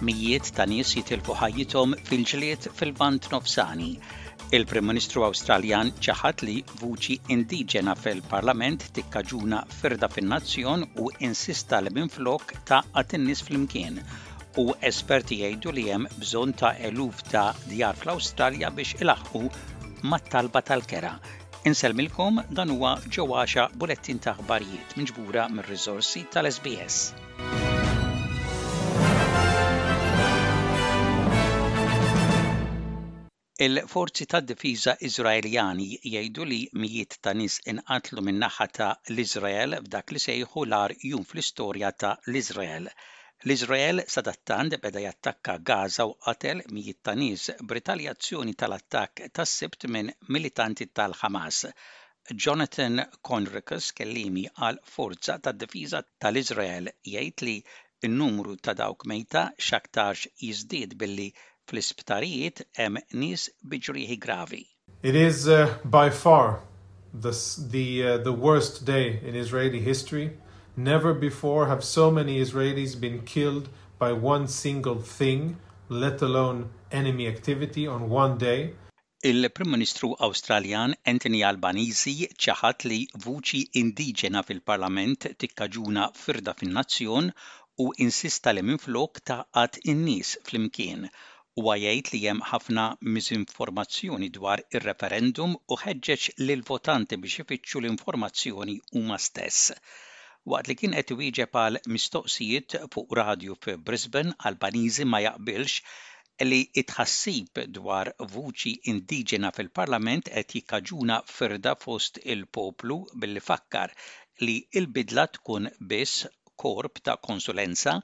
Mijiet ta' nies jitilfu ħajjithom fil-ġlied fil-Lvant Nofsani. Il-Prim Ministru Awstraljan ċaħad li vuċi indiġena fil-Parlament tikkaġuna firda fin-nazzjon u insista li minflok tgħaqqad in-nies flimkien. U esperti jgħidu li hemm bżonn ta' eluf ta' djar fl-Awstralja biex ilaħħqu mat-talba tal-kera. Insellmilkom dan huwa Ġo Għaxa bulettin ta' aħbarijiet miġbura mir-riżorsi tal-SBS. Il-forzi tad-difiża Iżraeljani jgħidu li mijiet ta' nies inqatlu min-naħa ta' l-Iżrael f'dak li sejħu l-agħar jum fl-istorja ta' l-Iżrael. L-Iżrael sadattant beda jattakka Gaza u qatel mijiet ta' nies b'ritaljazzjoni tal-attakk tas-Sibt minn militanti tal-Ħamas. Jonathan Conricus, kelliemi għall-Forza tad-Difiża tal-Iżrael, jgħid li n-numru ta' dawk mejta x'aktarx jiżdied billi fl-isptarijiet hemm nies bi ġrieħi gravi. It is by far the the the worst day in Israeli history. Never before have so many Israelis been killed by one single thing, let alone enemy activity on one day. Il-Prim Ministru Awstraljan Anthony Albanese ċaħad li vuċi indiġena fil-Parlament tikkaġuna firda fin-nazzjon u insista li minflok tgħaqqad in-nies flimkien. Huwa jgħid li hemm ħafna miżinformazzjoni dwar ir-referendum u ħeġġeġ lill-votanti biex ifittxu l-informazzjoni huma stess. Waqt li kien qed iwieġeb għal mistoqsijiet fuq radju fi Brisbane, Albanese ma jaqbilx li t-tħassib dwar vuċi indiġena fil-Parlament qed jikkaġuna firda fost il-poplu billi fakkar li l-bidla tkun biss korp ta' konsulenza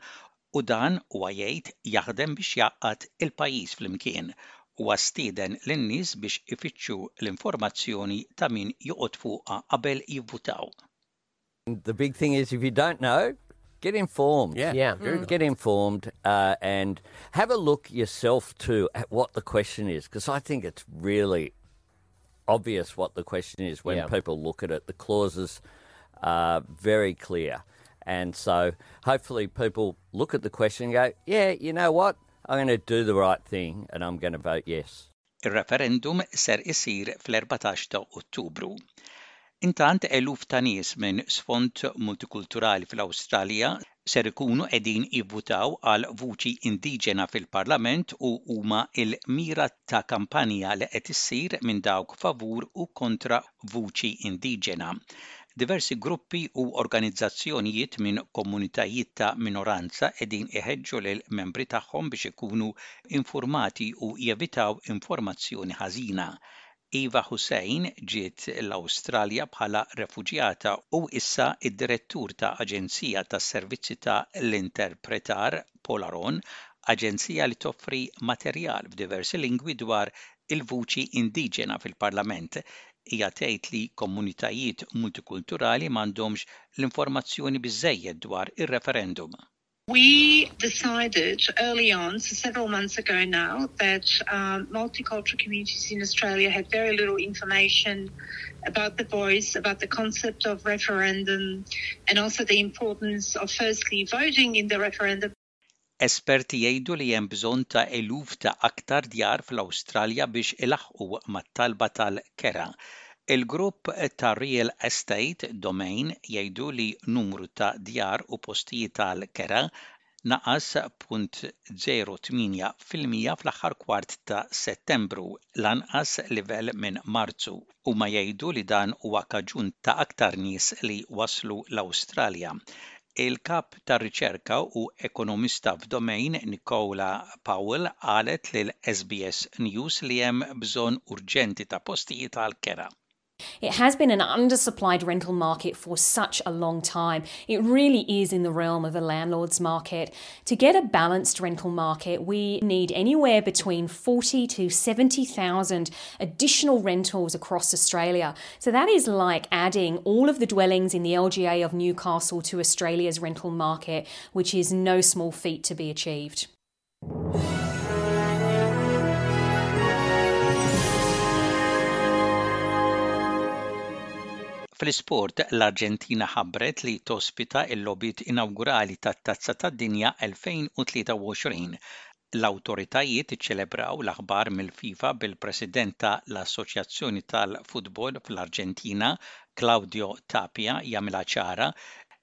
u dan, huwa jgħid, jaħdem biex jgħaqqad il-pajjiż flimkien. Huwa stieden lin-nies biex ifittxu l-informazzjoni ta' min joqgħod fuqha qabel jivvutaw. The big thing is if you don't know, get informed. Yeah. Yeah. Mm. Get informed uh, and have a look yourself too at what the question is because I think it's really obvious what the question is when yeah. people look at it. The clauses are very clear. And so hopefully people look at the question and go, yeah, you know what? I'm going to do the right thing and I'm going to vote yes. Ir-referendum ser isir fl-14 ta' Ottubru. Intant eluf ta' nies minn sfond multikulturali fl-Awstralja ser ikunu qegħdin jivvutaw għal vuċi indiġena fil-Parlament u huma l-mira ta' kampanja li qed issir minn dawk favur u kontra vuċi indiġena. Diversi gruppi u organizzazzjonijiet minn komunitajiet ta' minoranza qegħdin iħeġġu lill-membri tagħhom biex ikunu infurmati u jevitaw informazzjoni ħażina. Eva Hussein ġiet l-Awstralja bħala refuġjata u issa d-direttur ta' aġenzija tas-servizzi ta' l-interpretar Polaron, aġenzija li toffri materjal f'diversi lingwi dwar il-vuċi indiġena fil-Parlament. Hija tgħid li komunitajiet multikulturali m'għandhomx l-informazzjoni biżżejjed dwar ir-referendum. We decided early on, so several months ago now, that um, multicultural communities in Australia had very little information about the voice, about the concept of referendum, and also the importance of firstly voting in the referendum. Esperti jgħidu li hemm bżonn ta' eluf ta' aktar djar fl-Awstralja biex ilaħħqu mat-talba tal-kera. Il-grupp tar-real estate Domain jgħidu li numru ta' djar u postijiet għall-kera naqas 0.08% fl-aħħar kwart ta' Settembru, l-anqas livell minn Marzu. Huma jgħidu li dan huwa kaġun ta' aktar nies li waslu l-Awstralja. Il-Kap tar-Riċerka u ekonomista f'Domain Nicola Powell qalet lil SBS News li hemm bżonn urġenti ta' postijiet għall-kera. It has been an undersupplied rental market for such a long time. It really is in the realm of a landlord's market. To get a balanced rental market, we need anywhere between 40 to 70,000 additional rentals across Australia. So that is like adding all of the dwellings in the LGA of Newcastle to Australia's rental market, which is no small feat to be achieved. Fl-isport, l-Arġentina ħabbret li tospita l-logħbiet inawgurali tat-Tazza tad-Dinja 2023. L-awtoritajiet iċċelebraw l-aħbar mill-FIFA bil-President ta' l-Assoċjazzjoni tal-Futbol fl-Arġentina, Claudio Tapia jagħmilha ċara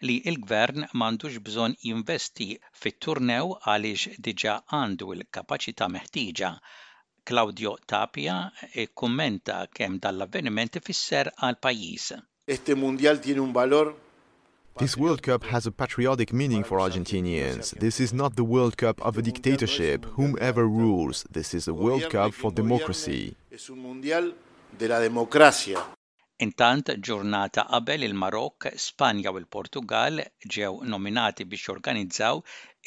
li l-Gvern m'għandux bżonn jinvesti fit-turnew għaliex diġà għandu l-kapaċità meħtieġa. Claudio Tapia kkummenta kemm dan l-avveniment ifisser għall-pajjiż. Este Mundial tiene un valor This World Cup has a patriotic meaning for Argentinians. This is not the World Cup of a dictatorship, whomever rules. This is a World Cup for democracy. Es un Mundial de la democracia. Intant, ġurnata qabel il-Marokk, Spanja u l-Portugall ġew nominati biex jorganizzaw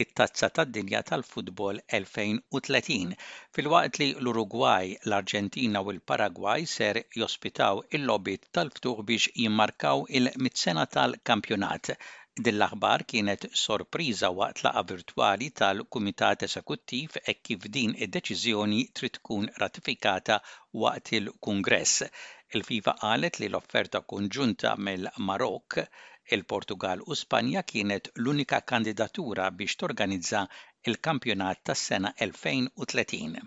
it-Tazza tad-Dinja tal-Futbol 2030, filwaqt li l-Urugwaj, l-Arġentina u l-Paragwaj ser jospitaw il-logħbiet tal-ftuħ biex jimmarkaw il-mitt sena tal-kampjonat. Din l-aħbar kienet sorpriża waqt laqgħa virtwali tal-Kumitat Esekuttiv hekk kif din id-deċiżjoni trid tkun ratifikata waqt il-Kungress. Il-FIFA qalet li l-offerta konġunta mill-Marokk, il-Portugall u Spanja kienet l-unika kandidatura biex torganizza l-kampjonat tas-sena 2030.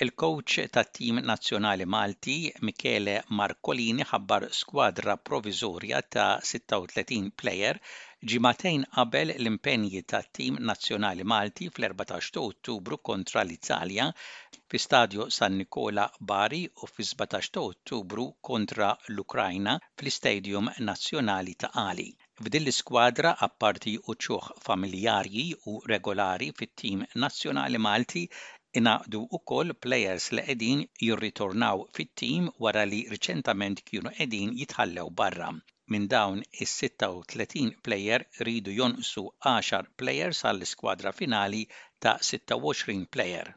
Il-kowċ tat-tim nazzjonali Malti, Michele Marcolini ħabbar skwadra proviżorja ta' 36 plejer ġimagħtejn qabel l-impenji tat-tim nazzjonali Malti fl-14 ta' Ottubru kontra l-Italja fi Stadio San Nicola Bari u fis-17 ta' Ottubru kontra l-Ukrajna fl-Istadium Nazzjonali ta' Qali. F'din l-iskwadra apparti uċuħ familjarji u regolari fit-tim nazzjonali Malti ingħaqdu wkoll plejers li qegħdin jirritornaw fit-tim wara li riċentament kienu qegħdin jitħallew barra. Minn dawn is-36 plejer iridu jonqsu għaxar plejers għall-iskwadra finali ta' 26 plejer.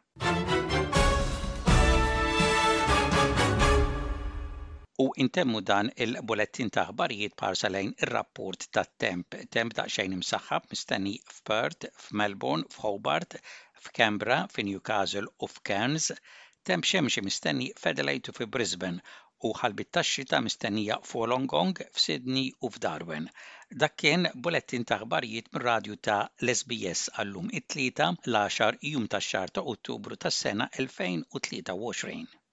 U intemmu dan il-bulettin ta' aħbarijiet b'ħarsa lejn ir-rapport tat-temp. Temp daqsxejn imsaħħab mistenni f'Perth, f'Melbourne, f'Hobart, f'Canberra, fi Newcastle u f'Cairns, temp xemxi mistenni f'Adelaide u fi Brisbane u ħalbiet tax-xita mistennija f'Wollongong, f'Sydney u f'Darwin. Dak kien bulettin ta' aħbarijiet mir-radju ta' l-SBS għal-lum it-Tlieta, l-għaxar jum tax-xahar ta' Ottubru tas-sena 2023.